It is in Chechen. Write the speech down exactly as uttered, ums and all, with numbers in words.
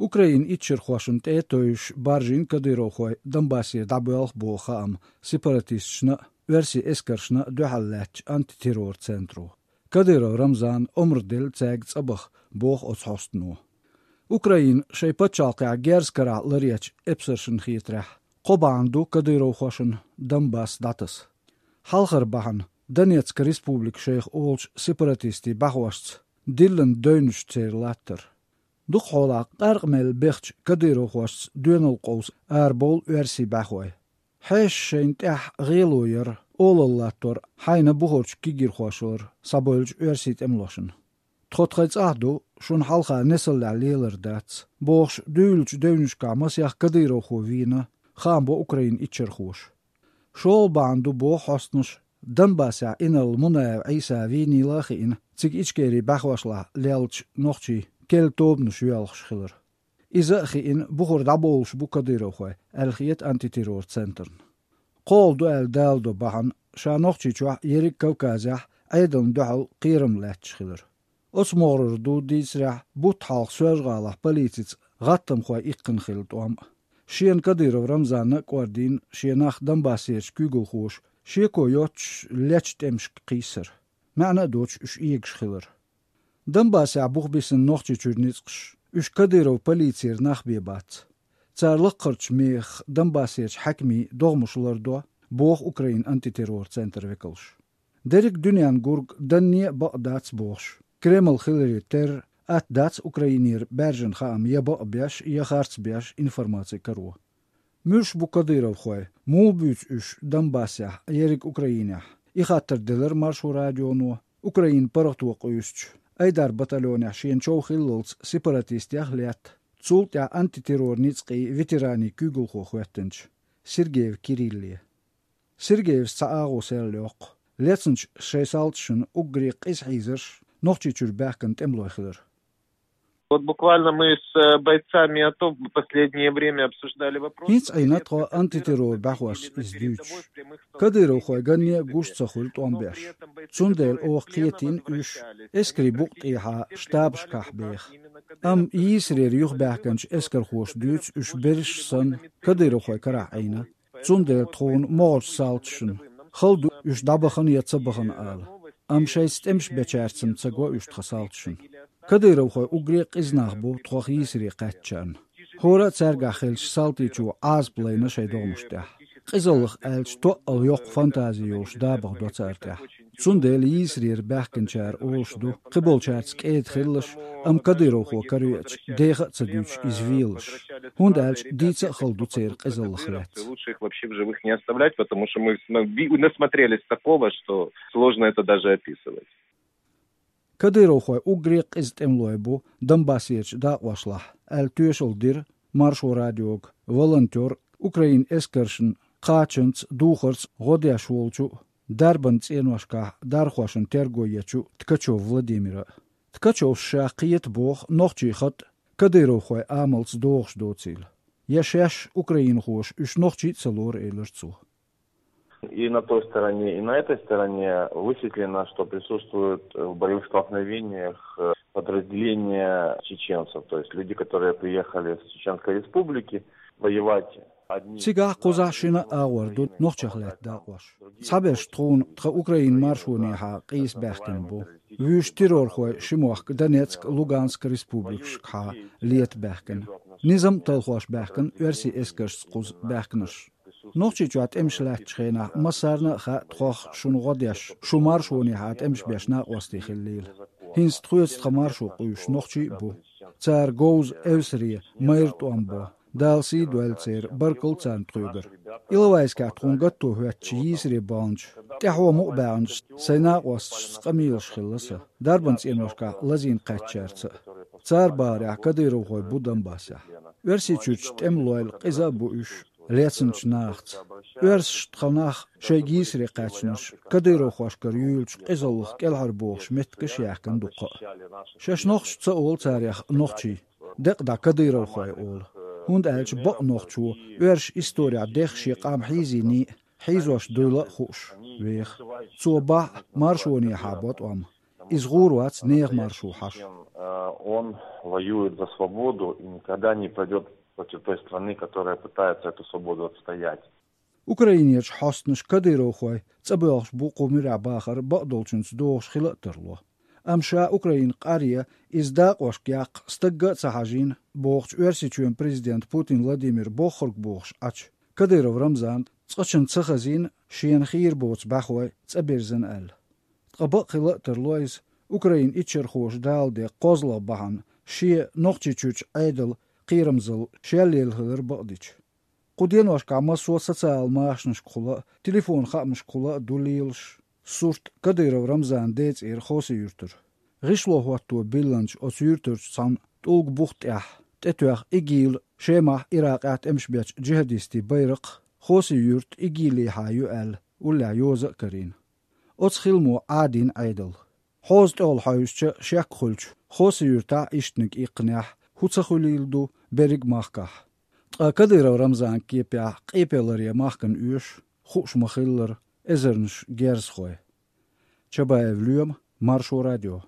Украинан иччархошна тӀе а тевжаш баржийна кадыровхой Донбассера дӀабоьлху боху хаам сепаратисташна а, оьрсийн эскаршна а дуьхьал лаьттачу антитеррор центро. Кадыров Рамзана омра делла цаьрга цӀа баха, боху оцу хьостано. Украина шайн пачхьалкхехь герз карахь ларъечу эпсаршна хетарехь, кхо бахьана ду кадыровхошна Донбасс дӀатаса. Хьалхара бахьана Донецк республика шайх олучу сепаратистийн бӀаьхошца диллина девнаш церан латтар. Дукхахьолахь къаьркъа мел бехачу кадыровхошца доьналла къовса арабовлу оьрсийн бӀаьхой. Хьеша шайна тӀехь гӀело яр, олалла латтор хьайна бухарчу кегийрхошлара схьабевллачу оьрсийн тӀемалошна. Тхо тхайн цӀахь ду, шуна хьалха несаллехь лелар дац, бохуш, дуьйлучу девнашкахь масех кадыровхо вийна, хаам бо Украинан иччархоша. ШолгӀа бахьана ду боху хьостанаша Донбассехь инарла Мунаев Ӏийса вийнийла а хиъна, цига Ичкерин бӀаьхошлахь леллачу нохчийн керла тобанаш йоьлхуш хилар. Иза а хиъна, бухара дӀабовлуш бу кадыровхой, аьлла хета антитеррор центрна. КхоалгӀа ду аьлла даладо бахьана ша Нохчийчохь, ерриг Кавказехь Ӏедална дуьхьал кхерам лаьтташ хилар. Оцу могӀарера ду дийцарехь бутт хьалха Соьлжа-ГӀалахь полицица гӀаттамхой иккхина хилла тӀом а. Шена Кадыров Рамзанна а кӀордийна шен нах Донбассерчу куьйгалхоша шеко йоццуш лечу тӀемашка кхийсар. МаьӀна а доцуш уьш эгаш хилар. Донбассехь буха бисина Нохчийчуьра ницкъаш, уьш Кадыров полицера нах бен бац. Цара лакхарчу мехах Донбассерчу хьаькамийн догӀмаш лардо, боху Украинан антитеррор центр векалша. Дерриг дуьненна гург данне а бакъ дац бохуш, Кремль хиларе терра, атта дац Украинера баьржина хаам я бакъ беш, я харц беш информаци каро. Муьлш бу кадыровхой, муха буьйцу уьш Донбассехь, ерриг Украинехь? И хаттар делира Маршо радионо Украинан паргӀато къуьйсучу, Айдар батальонехь шена чов хиллалц сепаратистех а летта, цул тӀаьхьа антитеррор ницкъийн ветеранийн куьйгалхо хӀоьттинчу Сергеев Кирилле. Сергеевс цхьа агӀо серлайоккху, лецначу шайн салташна уггаре къиза хьийзарш Нохчийчуьра баьхкина тӀемалой хилар. Вот буквально мы с, э, бойцами АТО в последнее время обсуждали вопрос. ХӀинца Ӏийна тхо антитеррор бӀаьхошца иза дуьйцуш. Кадыровхой ганне а гуш ца хуьлу тӀом беш. Цундела оха кхетийна уьш эскарийн букъа тӀехьа штабашкахь беха. Амма йийсарера юхабаьхкинчу эскархоша дуьйцу уьш берриш санна кадыровхой карахь Ӏийна. Цундела тхуна могӀарчу салташна хала ду уьш дӀабахана я ца бахана ала. Амма шайца тӀемаш бечаьрца-м ца го уьш тхан салташна. Кадыровхой уггаре а къиза нах бу тхох йийсаре кхаьчначарна. ХӀора а цаьргахь хиллачу салтичо Ӏазап лайна шайн догӀмаш тӀехь. Къизаллах аьлча, тоъал йоккха фантази йолуш дабагӀа до цара тӀехь. Цундела йийсарера баьхкинчара олуш ду, кхиболчаьрца кӀеда хилалаш, амма кадыровхо каравеача, деха а ца дуьйцуш, иза велалаш. ХӀунда аьлча дийца а хала ду церан къизаллах лаьцна. Лучше их вообще в живых не оставлять, потому что мы сна-, ви-, насмотрелись такого, что сложно это даже описывать. Кадыровхой уггаре а къиза тӀемалой бу Донбассерчу дакъошлахь, аьлла тоьшалла дира Маршо радиога волонтер, Украинан эскаршна кхачанца, духарца гӀо деш волчу, дарбан цӀеношкахь дархошна терго ечу Ткачев Владимира. Ткачевс ша кхета боху нохчийн хатӀ кадыровхойн амалца догӀуш доцийла. Я шаьш украинхоша уьш нохчий а ца лору, элира цо. И на той стороне, и на этой стороне высветлено, что присутствуют в боевых столкновениях, э, подразделения чеченцев, то есть люди, которые приехали с Чеченской Республики воевать. Цигахь кхузахь шина а агӀор ду нохчех лаьтта дакъош. Цхьаберш тхуна тхан Украинан маршонехьа къийса баьхкина бу. Вуьйш террорхой ши мохк Донецк, Луганск республикашкахьа лета баьхкина. Низам а талхош баьхкина оьрсийн эскаршца кхуза баьхкинарш. Нохчийчохь тӀемаш лаьттачу хенахь массарна а хаьа тхох шуна гӀо деш, шу маршонехьа тӀемаш беш накъостий хиллийла. ХӀинца тхоьца тхан маршо къуьйсуш нохчий а бу. Цара говза эвсаре майра тӀом бо. Дала сий дойла церан, баркалла царна тхоьгара. Иловайскехь тхуна гатто хӀоьттича йийсаре баханчу, тӀаьхьо мукъа баьхначу сайн накъосташца къамелаш хилла сан, дарбан цӀеношкахь лазийна кхаьчначаьрца а. Цара бахарехь, кадыровхой бу Донбассехь. Оьрсийчуьрчу тӀемалойла къиза а бу уьш лецначу нахаца. Оьрсаша тхан нах шайга йийсаре кхаьчнарш кадыровхошкара юьйлучу къизаллах кӀелхьара бохуш меттигаш а яьккхина дуккха а. Шаьш нохчий ца олу царех нохчий, декъа дӀа кадыровхой олу. ХӀунда аьлча бакъ нохчо оьрсаша исторехь дех шен къам хьийзийний а, хьийзош дуйла а хууш веха. Цо бахь а маршонехьа бо тӀом. Иза гӀур вац нехан маршо хьаша. Он воюет за свободу и никогда не пойдет против той страны, которая пытается эту свободу отстоять. Украинерчу хьостанаш кадыровхой цӀабоьлхуш бу кху муьрехь бахар бакъдолчуьнца догӀуш хила а тарло. Амма ша Украина къаръе, иза дакъошка яккха стагга а ца хьажийна бохучу Оьрсийчоьнан президента Путин Владимира бохург бохуш Ӏачу, Кадыров Рамзана цкъачунна ца хазийна шена хийра боцу бӀаьхой цӀа бирзина аьлла. Ткъа бакъ хила а тарло иза, Украинан иччархоша Дала ден кхозлагӀа бахьана шен Нохчийчуьрчу Ӏедалан кхерамзалла шел лелла хилар бакъдича. Кху деношкахь массо а социал машанашкахула а, телефон хаамашкахула а ду лелаш сурт Кадыров Рамзанан ден цӀера Хоси-Юьртара. ГӀишло хӀотто биллинчу оцу юьртарчу цхьана тӀулган бух тӀехь тӀетоьхна ИГИЛ-а Шемахь, Иракъехь тӀемаш бечу джихӀадистийн байракх Хоси-Юьрт ИГИЛ-ехьа ю аьлла, уллехь йоза а карийна. Оцу хиламо Ӏадийна Ӏедал. Хьоза тӀехула хьовсича, шек хуьлча, Хоси-Юьртахь а ишттаниг иккхинехь, хӀун ца хуьлийла ду берриг махкахь. Ткъа Кадыров Рамзанан кепехь къепе ларъян махкана оьшу, хууш ма-хиллара, эзарнаш герзахой. Чабаев Лоьма, Маршо радио.